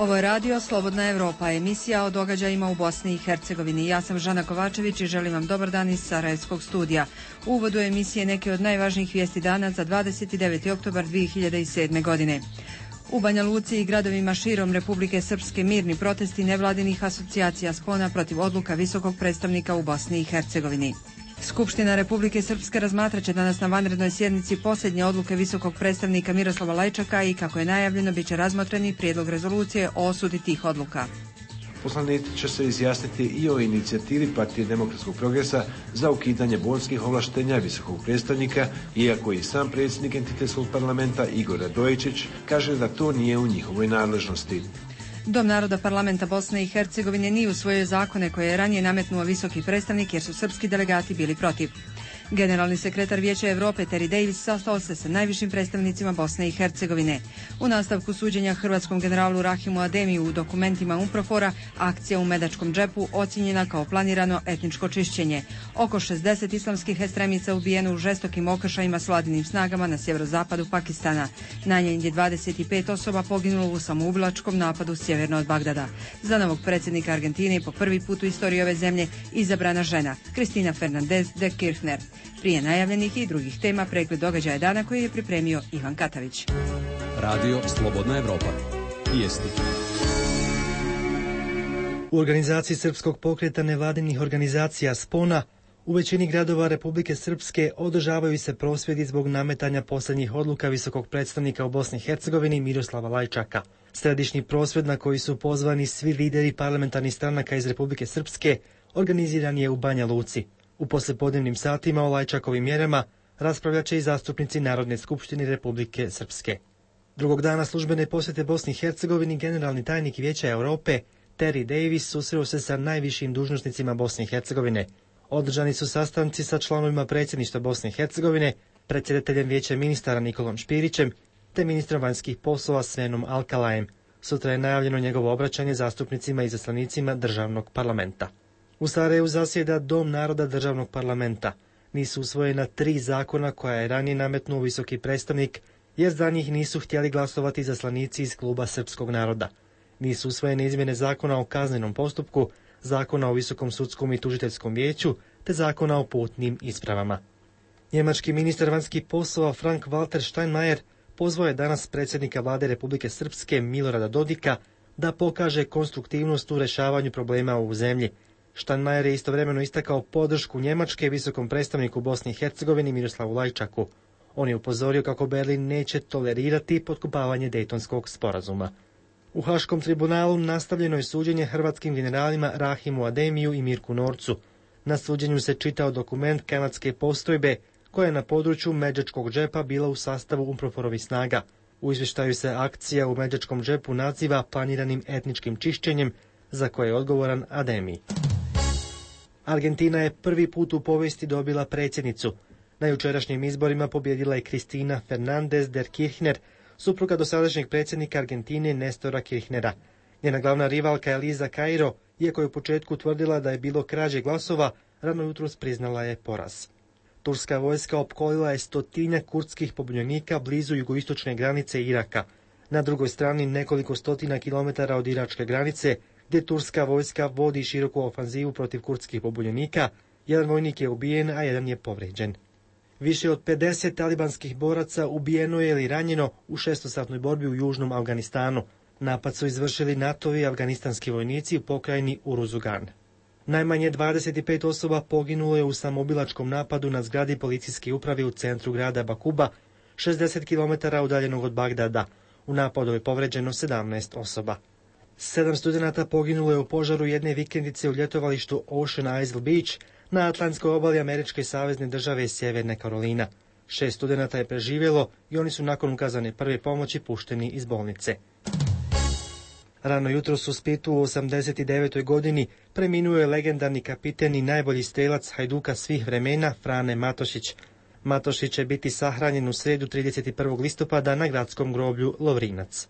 Ovo je radio Slobodna Evropa, emisija o događajima u Bosni i Hercegovini. Ja sam Žana Kovačević i želim vam dobar dan iz Sarajevskog studija. U uvodu emisije neke od najvažnijih vijesti dana za 29. oktobar 2007. godine. U Banja Luci i gradovima širom Republike Srpske mirni protesti nevladinih asocijacija spona protiv odluka visokog predstavnika u Bosni i Hercegovini. Skupština Republike Srpske razmatraće danas na vanrednoj sjednici posljednje odluke visokog predstavnika Miroslava Lajčaka i, kako je najavljeno, bit će razmotreni prijedlog rezolucije o osudi tih odluka. Poslanici će se izjasniti i o inicijativi Partije demokratskog progresa za ukidanje bonskih ovlaštenja visokog predstavnika, iako i sam predsjednik entitetskog parlamenta Igor Radojičić kaže da to nije u njihovoj nadležnosti. Dom naroda parlamenta Bosne i Hercegovine nije usvojio zakone koje je ranije nametnuo visoki predstavnik jer su srpski delegati bili protiv. Generalni sekretar Vijeća Europe Terry Davis sastao se sa najvišim predstavnicima Bosne i Hercegovine. U nastavku suđenja hrvatskom generalu Rahimu Ademiju u dokumentima UNPROFOR-a, akcija u Medačkom džepu ocijenjena kao planirano etničko čišćenje. Oko 60 islamskih ekstremica ubijeno u žestokim okršajima s vladinim snagama na sjeverozapadu Pakistana. Najmanje 25 osoba poginulo u samoubilačkom napadu sjeverno od Bagdada. Za novog predsjednika Argentine po prvi put u istoriji ove zemlje izabrana žena, Cristina Fernández de Kirchner. Prije najavljenih i drugih tema pregled događaja dana koji je pripremio Ivan Katavić. Radio Slobodna Evropa. Vijesti. U organizaciji Srpskog pokreta nevladinih organizacija Spona u većini gradova Republike Srpske održavaju se prosvjedi zbog nametanja posljednjih odluka visokog predstavnika u Bosni i Hercegovini Miroslava Lajčaka. Središnji prosvjed na koji su pozvani svi lideri parlamentarnih stranaka iz Republike Srpske organiziran je u Banja Luci. U poslijepodnevnim satima o Lajčakovim mjerama raspravljat će i zastupnici Narodne skupštine Republike Srpske. Drugog dana službene posjete Bosni i Hercegovini generalni tajnik Vijeća Europe Terry Davis susreo se sa najvišim dužnosnicima Bosne i Hercegovine. Održani su sastanci sa članovima predsjedništva Bosne i Hercegovine, predsjedateljem Vijeća ministara Nikolom Špirićem te ministrom vanjskih poslova Svenom Alkalajem. Sutra je najavljeno njegovo obraćanje zastupnicima i izaslanicima državnog parlamenta. U Sarajevu zasjeda Dom naroda državnog parlamenta. Nisu usvojena 3 zakona koja je ranije nametnuo visoki predstavnik, jer za njih nisu htjeli glasovati izaslanici iz kluba srpskog naroda. Nisu usvojene izmjene zakona o kaznenom postupku, zakona o visokom sudskom i tužiteljskom vijeću, te zakona o putnim ispravama. Njemački ministar vanjskih poslova Frank-Walter Steinmeier pozvao je danas predsjednika vlade Republike Srpske Milorada Dodika da pokaže konstruktivnost u rješavanju problema u zemlji. Steinmeier je istovremeno istakao podršku Njemačke visokom predstavniku Bosni i Hercegovini Miroslavu Lajčaku. On je upozorio kako Berlin neće tolerirati potkopavanje Dejtonskog sporazuma. U Haškom tribunalu nastavljeno je suđenje hrvatskim generalima Rahimu Ademiju i Mirku Norcu. Na suđenju se čitao dokument kanadske postrojbe koja je na području Međačkog džepa bila u sastavu UNPROFOR-ovih snaga. U izvještaju se akcija u Međačkom džepu naziva planiranim etničkim čišćenjem za koje je odgovoran Ademi. Argentina je prvi put u povijesti dobila predsjednicu. Na jučerašnjim izborima pobjedila je Cristina Fernández de Kirchner, supruga dosadašnjeg predsjednika Argentine Nestora Kirchnera. Njena glavna rivalka Elisa Cairo, iako je u početku tvrdila da je bilo krađe glasova, rano jutros priznala je poraz. Turska vojska opkolila je 100 kurdskih pobunjenika blizu jugoistočne granice Iraka. Na drugoj strani, nekoliko stotina kilometara od iračke granice, gdje turska vojska vodi široku ofanzivu protiv kurdskih pobunjenika, jedan vojnik je ubijen, a jedan je povrijeđen. Više od 50 talibanskih boraca ubijeno je ili ranjeno u 6-satnoj borbi u južnom Afganistanu. Napad su izvršili NATO-vi afganistanski vojnici u pokrajini Uruzugan. Najmanje 25 osoba poginulo je u samoubilačkom napadu na zgradi policijske uprave u centru grada Bakuba, 60 km udaljenog od Bagdada. U napadu je povrijeđeno 17 osoba. 7 studenata poginulo je u požaru jedne vikendice u ljetovalištu Ocean Isle Beach na atlantskoj obali američke savezne države Sjeverne Karolina. 6 studenata je preživjelo i oni su nakon ukazane prve pomoći pušteni iz bolnice. Rano jutros u Splitu u 89. godini preminuo je legendarni kapiten i najbolji strelac Hajduka svih vremena Frane Matošić. Matošić će biti sahranjen u srijedu 31. listopada na gradskom groblju Lovrinac.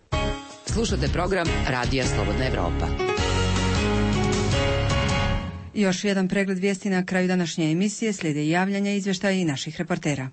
Slušate program Radija Slobodna Evropa. Još jedan pregled vijesti na kraju današnje emisije, slijede javljanja, izvještaja i naših reportera.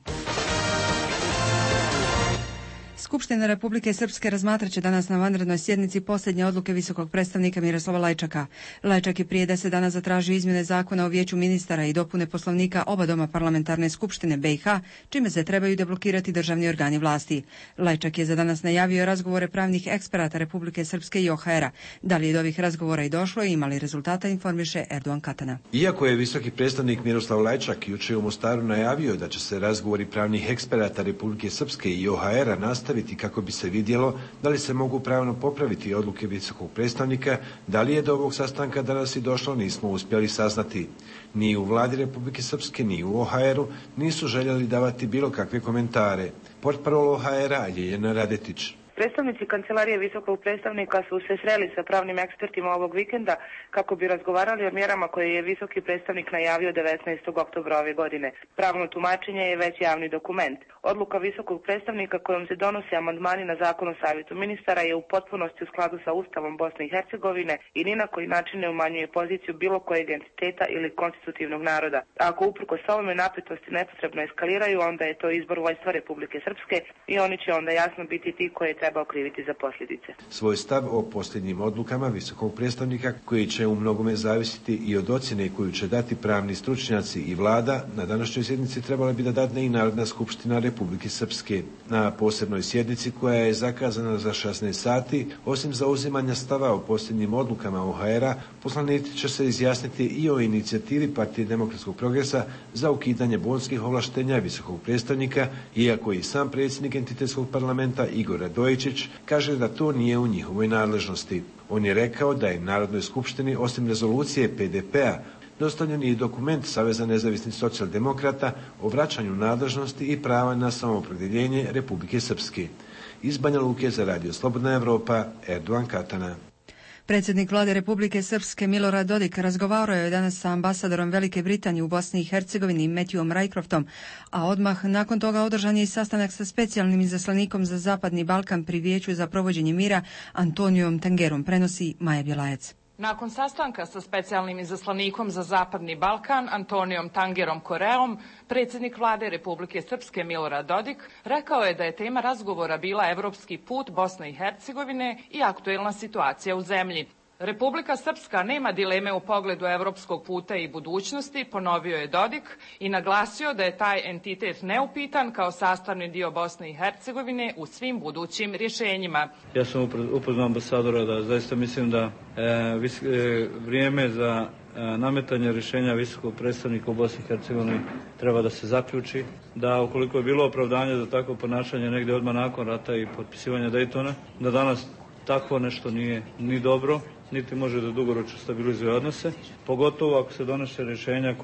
Skupština Republike Srpske razmatraće danas na vanrednoj sjednici posljednje odluke visokog predstavnika Miroslava Lajčaka. Lajčak je prije 10 dana zatražio izmjene zakona o vijeću ministara i dopune poslovnika oba doma parlamentarne skupštine BiH, čime se trebaju deblokirati državni organi vlasti. Lajčak je za danas najavio razgovore pravnih eksperata Republike Srpske i OHR-a. Da li je do ovih razgovora i došlo i ima li rezultata, informiše Erdogan Katana. Iako je visoki predstavnik Miroslav Lajčak jučer u Mostaru najavio da će se razgovori pravnih eksperata Republike Srpske i OHR-a nastaviti kako bi se vidjelo da li se mogu pravno popraviti odluke visokog predstavnika, da li je do ovog sastanka danas i došlo, nismo uspjeli saznati. Ni u vladi Republike Srpske, ni u OHR-u nisu željeli davati bilo kakve komentare. Portparol OHR-a Ljiljana Radetić. Predstavnici Kancelarije visokog predstavnika su se sreli sa pravnim ekspertima ovog vikenda kako bi razgovarali o mjerama koje je visoki predstavnik najavio 19. oktobra ove godine. Pravno tumačenje je već javni dokument. Odluka visokog predstavnika kojom se donose amandmani na zakon o savjetu ministara je u potpunosti u skladu sa Ustavom Bosne i Hercegovine i ni na koji način ne umanjuje poziciju bilo kojeg entiteta ili konstitutivnog naroda. Ako uprkos ovome napetosti nepotrebno eskaliraju, onda je to izbor vojstva Republike Srpske i oni će onda jasno biti ti koje treba okriviti za posljedice. Svoj stav o posljednjim odlukama visokog predstavnika, koji će u mnogome zavisiti i od ocjene koju će dati pravni stručnjaci i vlada, na današnjoj sjednici trebala bi da dadne i Narodna skupština Republike Srpske. Na posebnoj sjednici koja je zakazana za 16 sati, osim zauzimanja stava o posljednjim odlukama OHR-a, poslanici će se izjasniti i o inicijativi Partije demokratskog progresa za ukidanje bonskih ovlaštenja visokog predstavnika, iako i sam predsjednik entitetskog parlamenta Igor Radojičić kaže da to nije u njihovoj nadležnosti. On je rekao da je Narodnoj skupštini osim rezolucije PDP-a dostavljen i dokument Saveza nezavisnih socijaldemokrata o vraćanju nadležnosti i prava na samoopredjeljenje Republike Srpske. Iz Banja Luke za Radio Slobodna Evropa, Erdogan Katana. Predsjednik vlade Republike Srpske Milorad Dodik razgovarao je danas sa ambasadorom Velike Britanije u Bosni i Hercegovini Matthewom Rycroftom, a odmah nakon toga održan je i sastanak sa specijalnim izaslanikom za Zapadni Balkan pri Vijeću za provođenje mira Antonijom Tangerom, prenosi Maja Bjelajac. Nakon sastanka sa specijalnim izaslanikom za Zapadni Balkan Antonijom Tangerom Koreom, predsjednik vlade Republike Srpske Milorad Dodik rekao je da je tema razgovora bila evropski put Bosne i Hercegovine i aktuelna situacija u zemlji. Republika Srpska nema dileme u pogledu evropskog puta i budućnosti, ponovio je Dodik i naglasio da je taj entitet neupitan kao sastavni dio Bosne i Hercegovine u svim budućim rješenjima. Ja sam upoznao ambasadora da zaista mislim da vrijeme za nametanje rješenja visokog predstavnika u Bosni i Hercegovini treba da se zaključi, da ukoliko je bilo opravdanje za takvo ponašanje negdje odmah nakon rata i potpisivanja Daytona, da danas takvo nešto nije ni dobro, niti može da dugoročno stabilizuje odnose, pogotovo ako se donose rješenja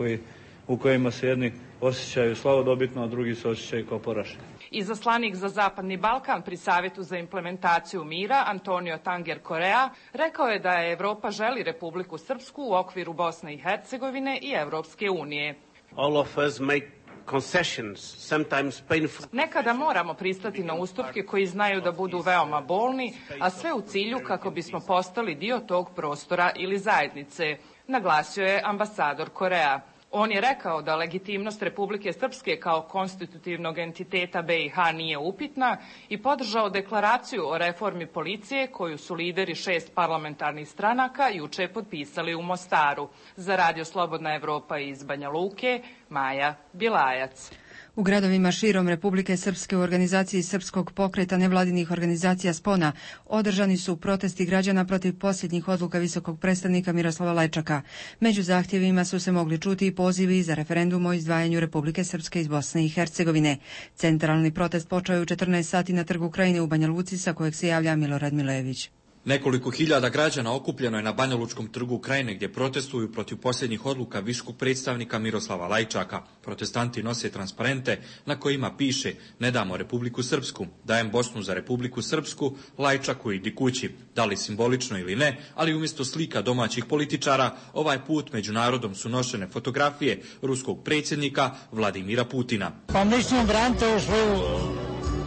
u kojima se jedni osjećaju slavodobitno, a drugi se osjećaju kao poraženi. Izaslanik za Zapadni Balkan pri Savjetu za implementaciju mira Antonio Tanger Korea rekao je da je Evropa želi Republiku Srpsku u okviru Bosne i Hercegovine i Evropske unije. All of us make concessions, sometimes painful. Nekada moramo pristati na ustupke koji znaju da budu veoma bolni, a sve u cilju kako bismo postali dio tog prostora ili zajednice, naglasio je ambasador Korea. On je rekao da legitimnost Republike Srpske kao konstitutivnog entiteta BiH nije upitna i podržao deklaraciju o reformi policije koju su lideri 6 parlamentarnih stranaka juče potpisali u Mostaru. Za Radio Slobodna Evropa iz Banja Luke, Maja Bjelajac. U gradovima širom Republike Srpske u organizaciji Srpskog pokreta nevladinih organizacija Spona održani su protesti građana protiv posljednjih odluka visokog predstavnika Miroslava Lajčaka. Među zahtjevima su se mogli čuti i pozivi za referendum o izdvajanju Republike Srpske iz Bosne i Hercegovine. Centralni protest počeo je u 14 sati na Trgu Krajine u Banja Luci, sa kojeg se javlja Milorad Milojević. Nekoliko hiljada građana okupljeno je na Banjalučkom trgu Krajine gdje protestuju protiv posljednjih odluka visokog predstavnika Miroslava Lajčaka. Protestanti nose transparente na kojima piše "Ne damo Republiku Srpsku, dajem Bosnu za Republiku Srpsku, Lajčaku idi kući", da li simbolično ili ne, ali umjesto slika domaćih političara, ovaj put među narodom su nošene fotografije ruskog predsjednika Vladimira Putina. Pa mislim branite ovu svoju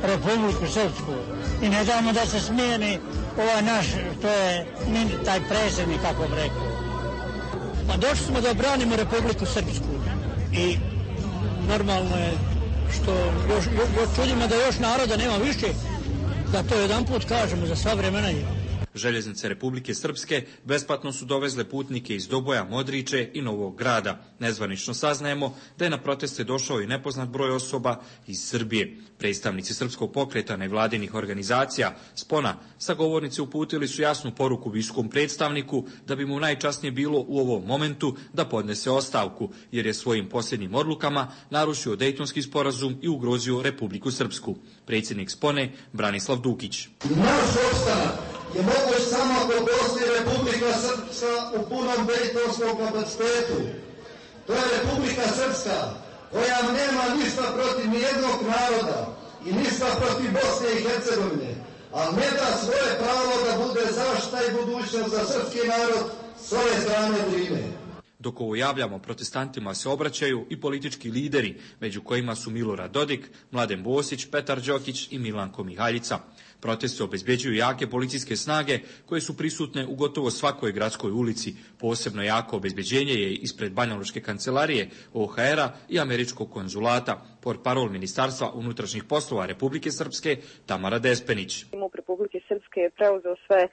Republiku Srpsku i ne damo da se smijeni ovaj naš, to je taj predsjednik, kako bi rekao. Pa došli smo da branimo Republiku Srpsku i normalno je što još čudimo da još naroda nema više, Da to jedan put kažemo za sva vremena je. Željeznice Republike Srpske besplatno su dovezle putnike iz Doboja, Modriče i Novog Grada. Nezvanično saznajemo da je na proteste došao i nepoznat broj osoba iz Srbije. Predstavnici Srpskog pokreta nevladinih organizacija Spona sagovornici uputili su jasnu poruku visokom predstavniku da bi mu najčasnije bilo u ovom momentu da podnese ostavku, jer je svojim posljednjim odlukama narušio Dejtonski sporazum i ugrozio Republiku Srpsku. Predsjednik Spone Branislav Dukić. Naš opstanak je moguć samo ako postoji Republika Srpska u punom dejtonskom kapacitetu. To je Republika Srpska koja nema ništa protiv nijednog naroda i ništa protiv Bosne i Hercegovine, ali ne da svoje pravo da bude zaštita i budućnost za srpski narod s ove strane Drine. Dok ovo javljamo, protestantima se obraćaju i politički lideri, među kojima su Milorad Dodik, Mladen Bosić, Petar Đokić i Milanko Mihaljica. Proteste obezbeđuju jake policijske snage koje su prisutne u gotovo svakoj gradskoj ulici. Posebno jako obezbeđenje je ispred Banjalučke kancelarije, OHR-a i američkog konzulata. Portparol Ministarstva unutrašnjih poslova Republike Srpske Tamara Despenić. MUP Republike Srpske je preuzeo sve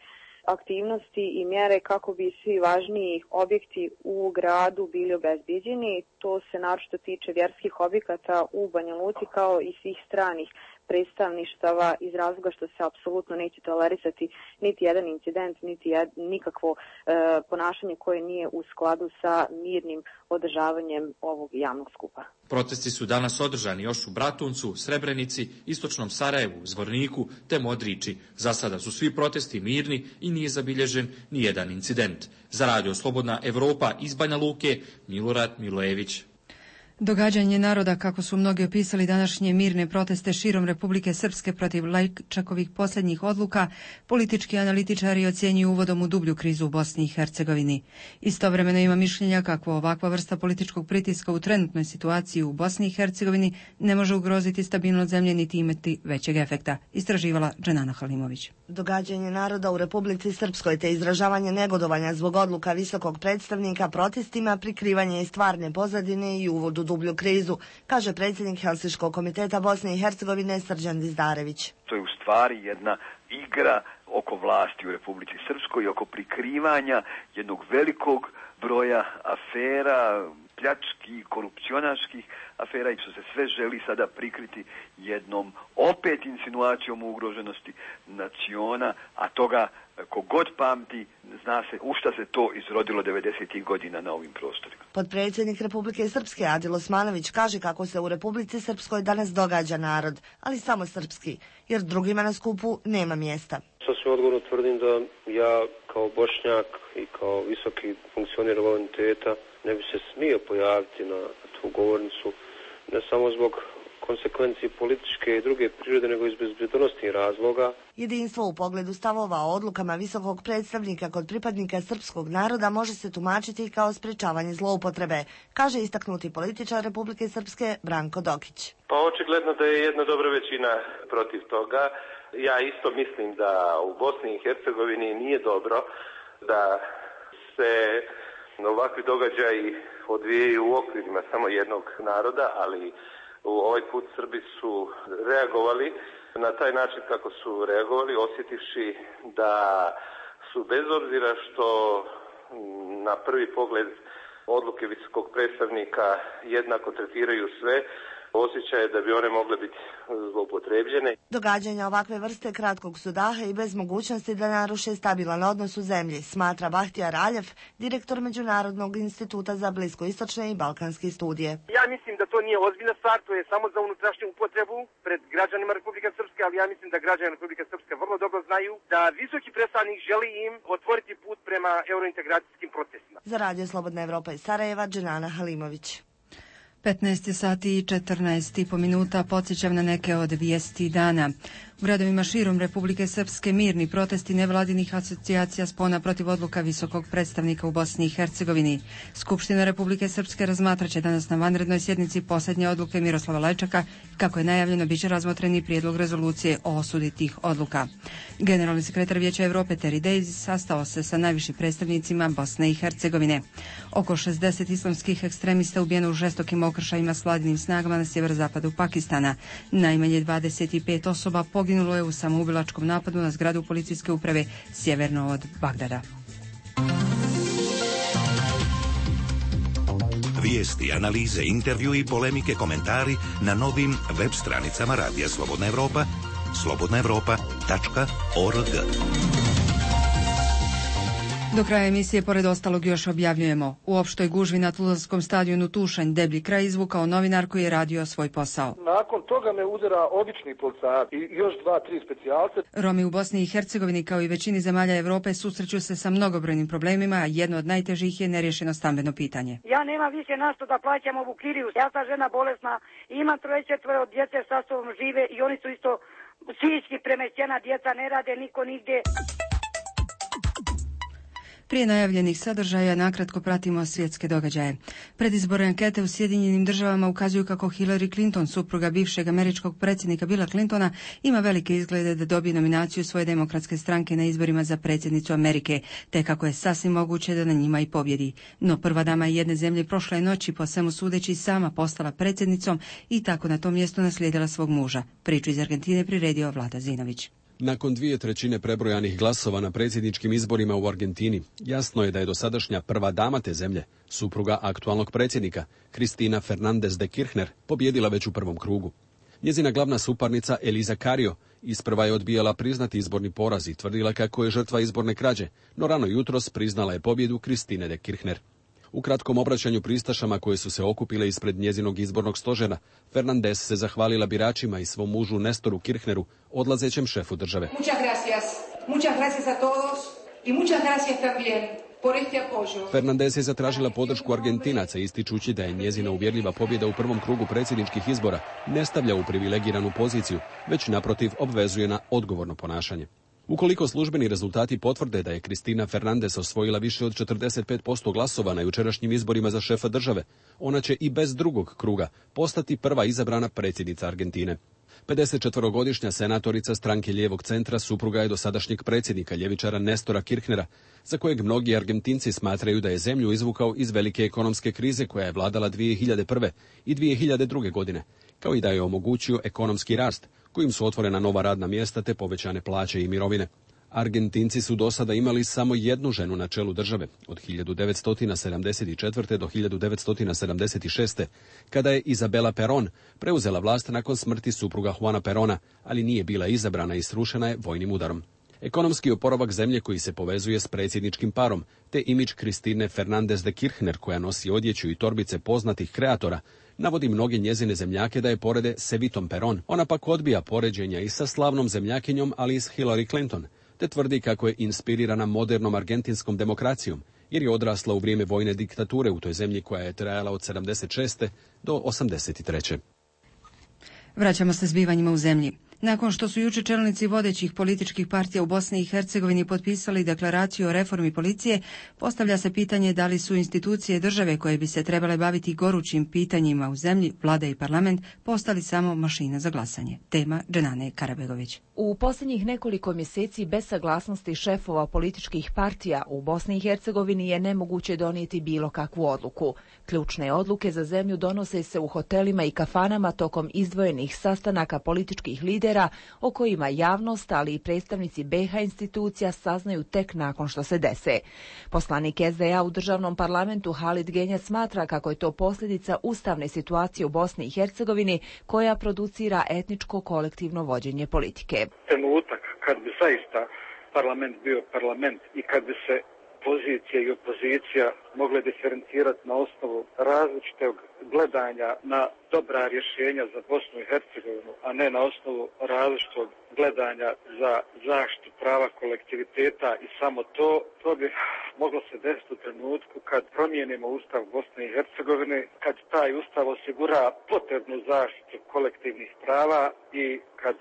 aktivnosti i mjere kako bi svi važniji objekti u gradu bili obezbeđeni. To se naročito tiče vjerskih objekata u Banja Luci kao i svih stranih predstavništava iz razloga što se apsolutno neće tolerisati niti jedan incident, niti nikakvo ponašanje koje nije u skladu sa mirnim održavanjem ovog javnog skupa. Protesti su danas održani još u Bratuncu, Srebrenici, Istočnom Sarajevu, Zvorniku te Modriči. Za sada su svi protesti mirni i nije zabilježen ni jedan incident. Za Radio Slobodna Evropa iz Banja Luke, Milorad Milojević. Događanje naroda, kako su mnogi opisali današnje mirne proteste širom Republike Srpske protiv Lajčakovih posljednjih odluka, politički analitičari ocjenjuju uvodom u dublju krizu u Bosni i Hercegovini. Istovremeno ima mišljenja kako ovakva vrsta političkog pritiska u trenutnoj situaciji u Bosni i Hercegovini ne može ugroziti stabilnost zemlje niti imati većeg efekta, istraživala Dženana Halimović. Događanje naroda u Republici Srpskoj te izražavanje negodovanja zbog odluka visokog predstavnika protestima, prikrivanje i stvarne pozadine i uvod u dublju krizu, kaže predsjednik Helsinškog komiteta Bosne i Hercegovine Srđan Dizdarević. To je u stvari jedna igra oko vlasti u Republici Srpskoj i oko prikrivanja jednog velikog broja afera, pljačkih, korupcionaških afera i što se sve želi sada prikriti jednom opet insinuacijom o ugroženosti naciona, a toga kogod pamti zna se u šta se to izrodilo 90. godina na ovim prostorima. Potpredsjednik Republike Srpske Adil Osmanović kaže kako se u Republici Srpskoj danas događa narod, ali samo srpski, jer drugima na skupu nema mjesta. Sasvim odgovorno tvrdim da ja kao Bošnjak i kao visoki funkcioner volonteta ne bi se smio pojaviti na tu govornicu, ne samo zbog konsekvencije političke i druge prirode, nego iz bezbjednosnih razloga. Jedinstvo u pogledu stavova o odlukama visokog predstavnika kod pripadnika srpskog naroda može se tumačiti kao sprečavanje zloupotrebe, kaže istaknuti političar Republike Srpske Branko Dokić. Pa očigledno da je jedna dobra većina protiv toga. Ja isto mislim da u Bosni i Hercegovini nije dobro da se ovakvi događaji odvijaju u okvirima samo jednog naroda, ali ovaj put Srbi su reagovali na taj način kako su reagovali, osjetivši da su bez obzira što na prvi pogled odluke visokog predstavnika jednako tretiraju sve, osjećaje da bi one mogle biti zloupotrebljene. Događanja ovakve vrste kratkog su daha i bez mogućnosti da naruše stabilan odnos u zemlji, smatra Bahtiyar Aljev, direktor Međunarodnog instituta za bliskoistočne i balkanske studije. Ja mislim da to nije ozbiljna stvar, to je samo za unutrašnju upotrebu pred građanima Republike Srpske, ali ja mislim da građani Republike Srpske vrlo dobro znaju da visoki predstavnik želi im otvoriti put prema eurointegracijskim procesima. Za Radio Slobodna Evropa iz Sarajeva, Dženana Halimović. 15 sati i 14,5 minuta, podsjećam na neke od vijesti dana. U gradovima širom Republike Srpske mirni protesti nevladinih asocijacija Spona protiv odluka visokog predstavnika u Bosni i Hercegovini. Skupština Republike Srpske razmatraće danas na vanrednoj sjednici posljednje odluke Miroslava Lajčaka. Kako je najavljeno, biće razmotreni prijedlog rezolucije o osudi tih odluka. Generalni sekretar Vijeća Evrope Terry Davis sastao se sa najvišim predstavnicima Bosne i Hercegovine. Oko 60 islamskih ekstremista ubijeno u žestokim okršajima s vladinim snagama na sjeverozapadu Pakistana. Najmanje 25 osoba poginulo poginulo je u samoubilačkom napadu na zgradu policijske uprave sjeverno od Bagdada. Vijesti, analize, intervju i polemike, komentari na novim web stranicama Radija Slobodna Evropa, slobodnaevropa.org. Do kraja emisije, pored ostalog, još objavljujemo: u opštoj gužvi na fudbalskom stadionu Tušanj deblji kraj izvukao novinar koji je radio svoj posao. Nakon toga me udara obični policajac i još 2-3 specijalce. Romi u Bosni i Hercegovini, kao i većini zemalja Evrope, susreću se sa mnogobrojnim problemima, a jedno od najtežih je neriješeno stambeno pitanje. Ja nemam više na što da plaćam ovu kiriju. Ja sam žena bolesna, imam 3-4 djece sa sobom žive i oni su isto psihički premešćena, djeca ne rade, niko nigdje. Prije najavljenih sadržaja nakratko pratimo svjetske događaje. Predizborne ankete u Sjedinjenim Državama ukazuju kako Hillary Clinton, supruga bivšeg američkog predsjednika Billa Clintona, ima velike izglede da dobije nominaciju svoje demokratske stranke na izborima za predsjednicu Amerike, te kako je sasvim moguće da na njima i pobjedi. No prva dama jedne zemlje prošle noći, po svemu sudeći, sama postala predsjednicom i tako na tom mjestu naslijedila svog muža. Priču iz Argentine priredio Vlada Zinović. Nakon 2/3 prebrojanih glasova na predsjedničkim izborima u Argentini, jasno je da je dosadašnja prva dama te zemlje, supruga aktualnog predsjednika, Cristina Fernández de Kirchner, pobjedila već u prvom krugu. Njezina glavna suparnica Elisa Carrió isprva je odbijala priznati izborni poraz i tvrdila kako je žrtva izborne krađe, no rano jutros priznala je pobjedu Cristine de Kirchner. U kratkom obraćanju pristašama koje su se okupile ispred njezinog izbornog stožera, Fernández se zahvalila biračima i svom mužu Nestoru Kirchneru, odlazećem šefu države. Muchas gracias a todos y muchas gracias también por este apoyo. Fernández je zatražila podršku Argentinaca, ističući da je njezina uvjerljiva pobjeda u prvom krugu predsjedničkih izbora ne stavlja u privilegiranu poziciju, već naprotiv obvezuje na odgovorno ponašanje. Ukoliko službeni rezultati potvrde da je Cristina Fernández osvojila više od 45% glasova na jučerašnjim izborima za šefa države, ona će i bez drugog kruga postati prva izabrana predsjednica Argentine. 54-godišnja senatorica stranke lijevog centra supruga je dosadašnjeg predsjednika ljevičara Nestora Kirchnera, za kojeg mnogi Argentinci smatraju da je zemlju izvukao iz velike ekonomske krize koja je vladala 2001. i 2002. godine, kao i da je omogućio ekonomski rast, kojim su otvorena nova radna mjesta te povećane plaće i mirovine. Argentinci su do sada imali samo jednu ženu na čelu države, od 1974. do 1976. kada je Isabela Perón preuzela vlast nakon smrti supruga Juana Perona, ali nije bila izabrana i srušena je vojnim udarom. Ekonomski oporavak zemlje koji se povezuje s predsjedničkim parom, te imidž Cristine Fernández de Kirchner koja nosi odjeću i torbice poznatih kreatora, navodi mnoge njezine zemljake da je porede s Evitom Perón. Ona pak odbija poređenja i sa slavnom zemljakinjom, ali i s Hillary Clinton, te tvrdi kako je inspirirana modernom argentinskom demokracijom, jer je odrasla u vrijeme vojne diktature u toj zemlji koja je trajala od 76. do 83. Vraćamo se zbivanjima u zemlji. Nakon što su jučer čelnici vodećih političkih partija u Bosni i Hercegovini potpisali deklaraciju o reformi policije, postavlja se pitanje da li su institucije države koje bi se trebale baviti gorućim pitanjima u zemlji, vlada i parlament, postali samo mašina za glasanje. Tema Dženane Karabegović. U posljednjih nekoliko mjeseci bez saglasnosti šefova političkih partija u Bosni i Hercegovini je nemoguće donijeti bilo kakvu odluku. Ključne odluke za zemlju donose se u hotelima i kafanama tokom izdvojenih sastanaka političkih lidera o kojima javnost, ali i predstavnici BiH institucija saznaju tek nakon što se dese. Poslanik SDA u državnom parlamentu Halid Genjac smatra kako je to posljedica ustavne situacije u Bosni i Hercegovini koja producira etničko kolektivno vođenje politike. Trenutak kad bi zaista parlament bio parlament i kad bi se pozicija i opozicija mogle diferencirati na osnovu različitog gledanja na dobra rješenja za Bosnu i Hercegovinu, a ne na osnovu različitog gledanja za zaštitu prava kolektiviteta i samo to bi moglo se desiti u trenutku kad promijenimo Ustav Bosne i Hercegovine, kad taj Ustav osigura potrebnu zaštitu kolektivnih prava i kad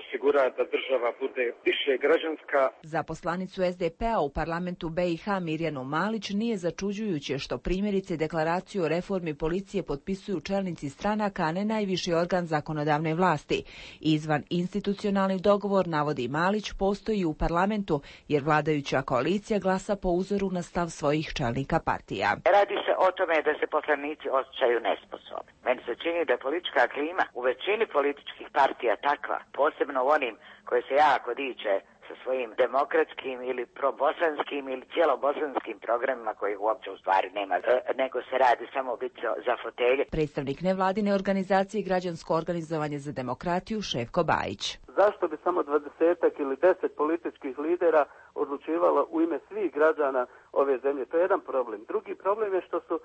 osigura da država bude više građanska. Za poslanicu SDP-a u parlamentu BiH Mirjanu Malić nije začuđujuće što primjerice deklaraciju o reformi policije potpisuju čelnici stranaka, a ne najviši organ zakonodavne vlasti. Izvan institucionalni dogovor, navodi Malić, postoji u parlamentu jer vladajuća koalicija glasa po uzoru na stav svojih čelnika partija. Radi se o tome da se poslanici osjećaju nesposobni. Meni se čini da je politička klima u većini političkih partija takva, posebno u onim koje se jako diče sa svojim demokratskim ili probosanskim ili cijelobosanskim programima kojih uopće u stvari nema, nego se radi samo biti za fotelje. Predstavnik nevladine organizacije Građansko organizovanje za demokratiju Šefko Bajić. Zašto bi samo 20 ili 10 političkih lidera odlučivalo u ime svih građana ove zemlje? To je jedan problem. Drugi problem je što su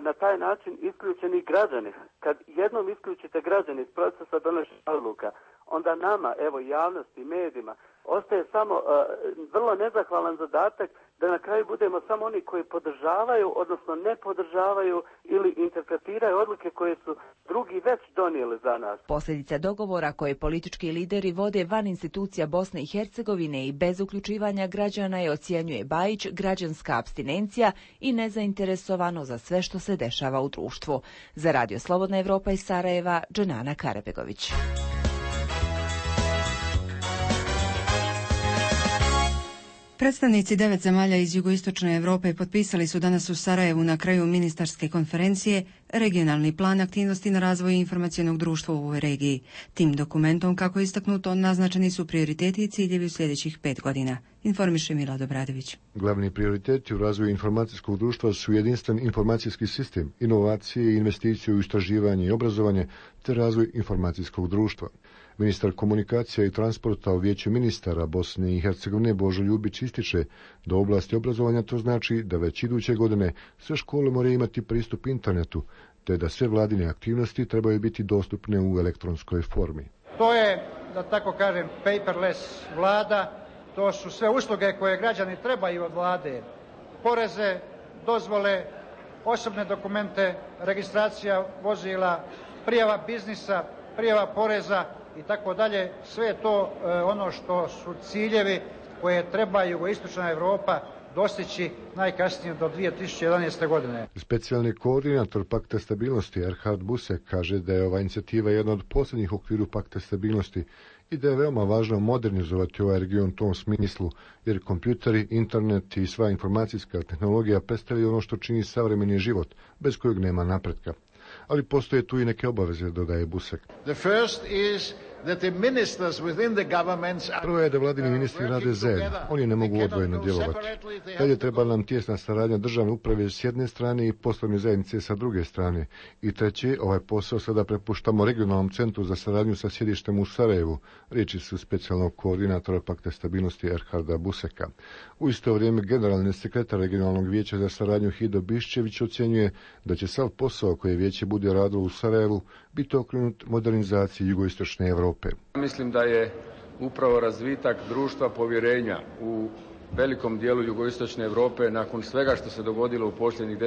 na taj način isključeni građani. Kad jednom isključite građani iz procesa donošenja odluka, onda nama, evo javnosti, medijima, ostaje samo vrlo nezahvalan zadatak da na kraju budemo samo oni koji podržavaju, odnosno ne podržavaju ili interpretiraju odluke koje su drugi već donijeli za nas. Posljedica dogovora koje politički lideri vode van institucija Bosne i Hercegovine i bez uključivanja građana je, ocjenjuje Bajić, građanska apstinencija i nezainteresovano za sve što se dešava u društvu. Za Radio Slobodna Evropa iz Sarajeva, Dženana Karabegović. Predstavnici 9 zemalja iz jugoistočne Europe potpisali su danas u Sarajevu na kraju ministarske konferencije regionalni plan aktivnosti na razvoju informacionog društva u ovoj regiji. Tim dokumentom, kako je istaknuto, naznačeni su prioriteti i ciljevi u sljedećih 5 godina. Informiše Milad Obradović. Glavni prioriteti u razvoju informacijskog društva su jedinstven informacijski sistem, inovacije i investicije u istraživanje i obrazovanje, te razvoj informacijskog društva. Ministar komunikacija i transporta u Vijeću ministara Bosne i Hercegovine Božo Ljubić ističe da u oblasti obrazovanja to znači da već iduće godine sve škole moraju imati pristup internetu, te da sve vladine aktivnosti trebaju biti dostupne u elektronskoj formi. To je, da tako kažem, paperless vlada, to su sve usluge koje građani trebaju od vlade. Poreze, dozvole, osobne dokumente, registracija vozila, prijava biznisa, prijava poreza i tako dalje. Sve je to ono što su ciljevi koje treba jugoistočna Europa dostići najkasnije do 2011. godine. Specijalni koordinator Pakta stabilnosti Erhard Busek kaže da je ova inicijativa jedna od posljednjih u okviru Pakta stabilnosti i da je veoma važno modernizovati ovaj region u tom smislu, jer kompjuteri, internet i sva informacijska tehnologija predstavljaju ono što čini savremeni život, bez kojeg nema napretka. Ali postoje tu i neke obaveze, dodaje Busek. Prvo je da vladini ministri rade zajedno, oni ne mogu odvojeno djelovati. Dalje treba nam tijesna saradnja državne uprave s jedne strane i poslovne zajednice sa druge strane. I treće, ovaj posao sada prepuštamo regionalnom centru za saradnju sa sjedištem u Sarajevu, riječi su specijalnog koordinatora Pakta stabilnosti Erharda Buseka. U isto vrijeme generalni sekretar regionalnog vijeća za saradnju Hido Biščević ocjenjuje da će sav posao koje vijeće bude radilo u Sarajevu biti okrenut modernizaciji jugoistočne Europe. Mislim da je upravo razvitak društva povjerenja u velikom dijelu jugoistočne Europe nakon svega što se dogodilo u posljednjih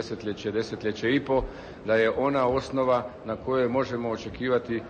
desetljeće i po, da je ona osnova na kojoj možemo očekivati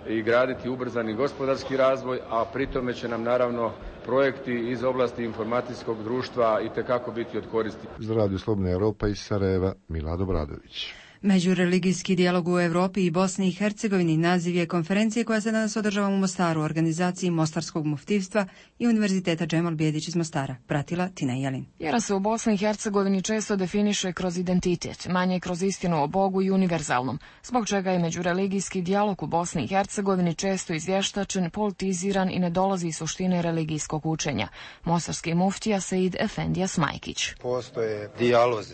i graditi ubrzani gospodarski razvoj, a pritome će nam naravno projekti iz oblasti informacijskog društva itekako biti od koristi. Za Radio Slobodna Europa iz Sarajeva, Milad Obradović. Međureligijski dijalog u Europi i Bosni i Hercegovini naziv je konferencije koja se danas održava u Mostaru u organizaciji Mostarskog muftivstva i Univerziteta Džemal Bijedić iz Mostara. Pratila Tina Jelin. Vjera se u Bosni i Hercegovini često definiše kroz identitet, manje kroz istinu o Bogu i univerzalnom, zbog čega je međureligijski dijalog u Bosni i Hercegovini često izvještačen, politiziran i ne dolazi iz suštine religijskog učenja. Mostarski muftija Seid Efendija Smajkić. Postoje dijalozi,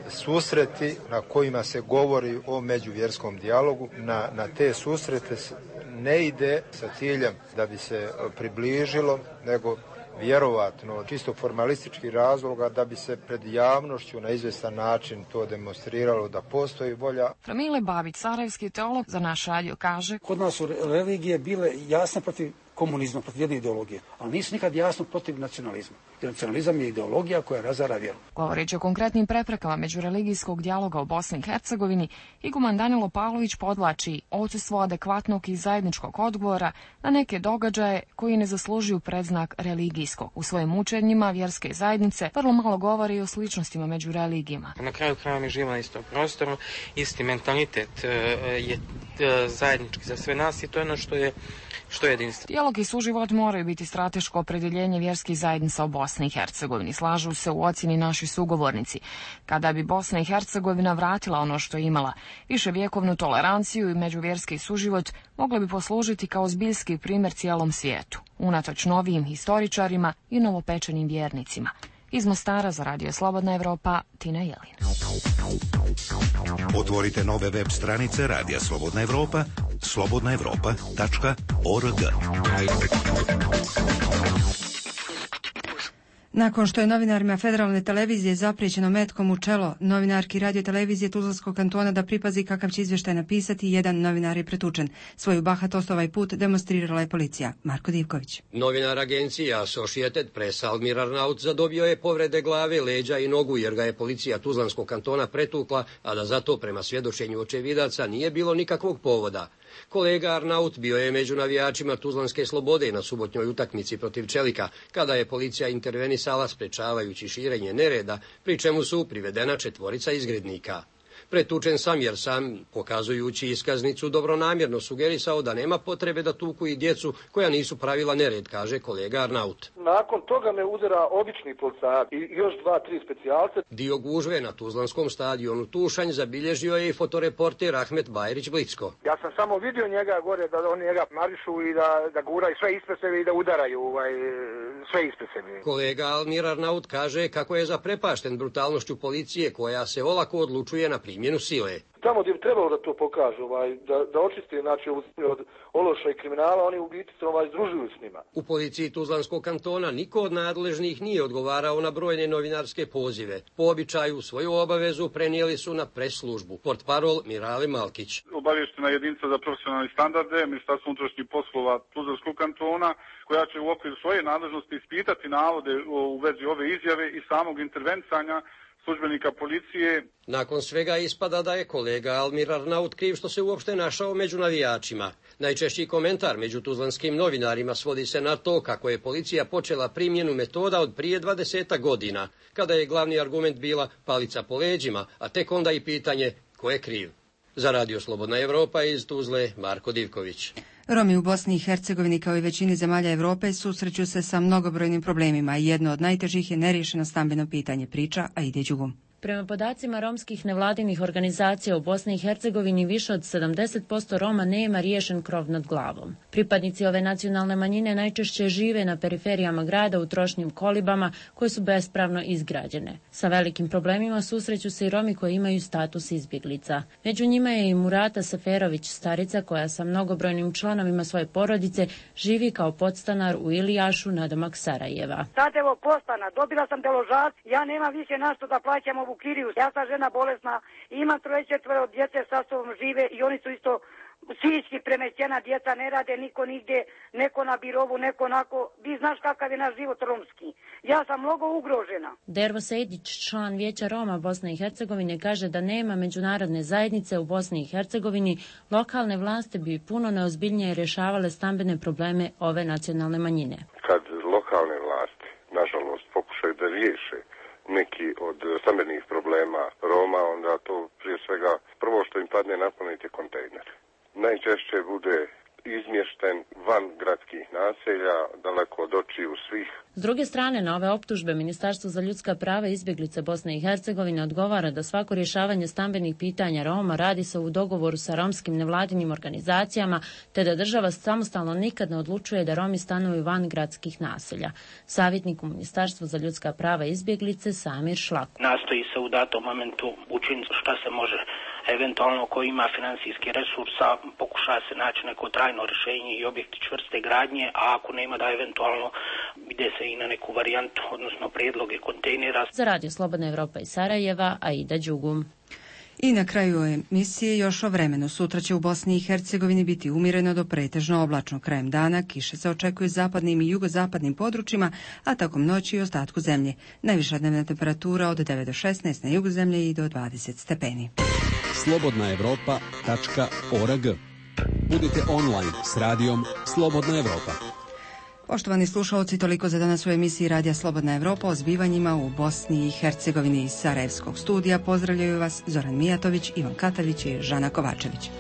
susreti na kojima se govori o međuvjerskom dijalogu. Na te susrete ne ide sa ciljem da bi se približilo, nego vjerovatno čisto formalistički razloga da bi se pred javnošću na izvjestan način to demonstriralo da postoji volja. Framile Babić, sarajevski teolog, za naš radio kaže: Kod nas su religije bile jasne protiv komunizma, protiv jedne ideologije, ali nisu nikad jasno protiv nacionalizma. Jer nacionalizam je ideologija koja razara vjeru. Govoreći o konkretnim preprekama međureligijskog dijaloga u Bosni i Hercegovini, iguman Danilo Pavlović podvlači odsustvo adekvatnog i zajedničkog odgovora na neke događaje koji ne zaslužuju predznak religijskog. U svojim učenjima vjerske zajednice vrlo malo govori i o sličnostima među religijama. Na kraju krajeva mi živimo na istom prostoru, isti mentalitet je zajednički za sve nas i to je ono što je jedinstveno. Dijalog i suživot moraju biti strateško opredjeljenje vjerskih zajednica u Bosni i Hercegovini. Slažu se u ocjeni naši sugovornici. Kada bi Bosna i Hercegovina vratila ono što je imala, viševjekovnu toleranciju i međuvjerski suživot, mogli bi poslužiti kao zbiljski primjer cijelom svijetu, unatoč novijim historičarima i novopečenim vjernicima. Iz Mostara za Radio Slobodna Evropa, Tina Jelin. Otvorite nove web stranice Radija Slobodna Evropa, slobodnaevropa.org. Nakon što je novinarima Federalne televizije zapriječeno metkom u čelo novinarki radiotelevizije Tuzlanskog kantona da pripazi kakav će izvještaj napisati, jedan novinar je pretučen. Svoju bahatost ovaj put demonstrirala je policija. Marko Divković. Novinar agencije Associated Press Almir Arnaut zadobio je povrede glave, leđa i nogu jer ga je policija Tuzlanskog kantona pretukla, a da za to prema svjedočenju očevidaca nije bilo nikakvog povoda. Kolega Arnaut bio je među navijačima Tuzlanske Slobode na subotnjoj utakmici protiv Čelika, kada je policija intervenisala sprečavajući širenje nereda, pri čemu su privedena 4 izgrednika. Pretučen sam jer sam, pokazujući iskaznicu, dobronamjerno sugerisao da nema potrebe da tuku i djecu koja nisu pravila nered, kaže kolega Arnaut. Nakon toga me udara obični policajac i još 2-3 specijalce. Dio gužve na Tuzlanskom stadionu Tušanj zabilježio je i fotoreporter Ahmet Bajrić Blicko. Ja sam samo vidio njega gore da oni njega marišu i da guraju sve ispred sebe i da udaraju sve ispred sebe. Kolega Almir Arnaut kaže kako je zaprepašten brutalnošću policije koja se olako odlučuje na primjenu sile. Tamo gdje bi trebalo da to pokažu, da očiste od ološa i kriminala, oni u biti se združuju s njima. U policiji Tuzlanskog kantona niko od nadležnih nije odgovarao na brojne novinarske pozive. Po običaju svoju obavezu prenijeli su na pres službu. Portparol Mirale Malkić. Obavještena jedinica za profesionalne standarde, Ministarstvo unutrašnjih poslova Tuzlanskog kantona, koja će u okviru svoje nadležnosti ispitati navode u vezi ove izjave i samog intervencanja službenika policije. Nakon svega ispada da je kolega Almir Arnaut kriv što se uopšte našao među navijačima. Najčešći komentar među tuzlanskim novinarima svodi se na to kako je policija počela primjenu metoda od prije 20 godina, kada je glavni argument bila palica po leđima, a tek onda i pitanje ko je kriv. Za Radio Slobodna Evropa iz Tuzle, Marko Divković. Romi u Bosni i Hercegovini kao i većini zemalja Europe susreću se sa mnogobrojnim problemima i jedno od najtežih je neriješeno stambeno pitanje, priča Aide Đugum. Prema podacima romskih nevladinih organizacija u Bosni i Hercegovini više od 70% Roma nema riješen krov nad glavom. Pripadnici ove nacionalne manjine najčešće žive na periferijama grada u trošnim kolibama koje su bespravno izgrađene. Sa velikim problemima susreću se i Romi koji imaju status izbjeglica. Među njima je i Murata Seferović, starica koja sa mnogobrojnim članovima svoje porodice živi kao podstanar u Ilijašu nadomak Sarajeva. Sad evo postana, dobila sam deložac, ja nemam više našto da plaćam u kiriju. Ja sam žena bolesna, imam 3-4 djece sa sobom žive i oni su isto psihički premešćena, djeca ne rade, niko nigdje, neko na birovu, neko onako. Vi znaš kakav je naš život romski. Ja sam mnogo ugrožena. Dervo Sejdić, član Vijeća Roma Bosne i Hercegovine, kaže da nema međunarodne zajednice u Bosni i Hercegovini, lokalne vlasti bi puno neozbiljnije rješavale stambene probleme ove nacionalne manjine. Kad lokalne vlasti, nažalost, pokušaju da riješe neki od stambenih problema Roma, onda to prije svega prvo što im padne na pamet je kontejner. Najčešće bude izmješten van gradskih naselja, daleko od očiju svih. S druge strane, na ove optužbe Ministarstvo za ljudska prava i izbjeglice Bosne i Hercegovine odgovara da svako rješavanje stambenih pitanja Roma radi se u dogovoru sa romskim nevladinim organizacijama, te da država samostalno nikad ne odlučuje da Romi stanuju van gradskih naselja. Savjetnik u Ministarstvu za ljudska prava i izbjeglice Samir Šlako. Nastoji se u datom momentu učiniti šta se može. Eventualno ko ima financijski resursa pokuša se naći neko trajno rješenje i objekti čvrste gradnje, a ako nema da eventualno ide se i na neku varijantu, odnosno prijedloge kontejnera. Za Radio Slobodna Evropa iz Sarajeva, Aida Đugum. I na kraju emisije još o vremenu. Sutra će u Bosni i Hercegovini biti umjereno do pretežno oblačno. Krajem dana kiše se očekuju zapadnim i jugozapadnim područjima, a tokom noći i ostatku zemlje. Najviša dnevna temperatura od 9 do 16 na jugu zemlje i do 20 stepeni. slobodnaevropa.org. Budite online s radijom Slobodna Evropa. Poštovani slušalci, toliko za danas u emisiji Radija Slobodna Evropa o zbivanjima u Bosni i Hercegovini. Iz Sarajevskog studija pozdravljaju vas Zoran Mijatović, Ivan Katavić i Žana Kovačević.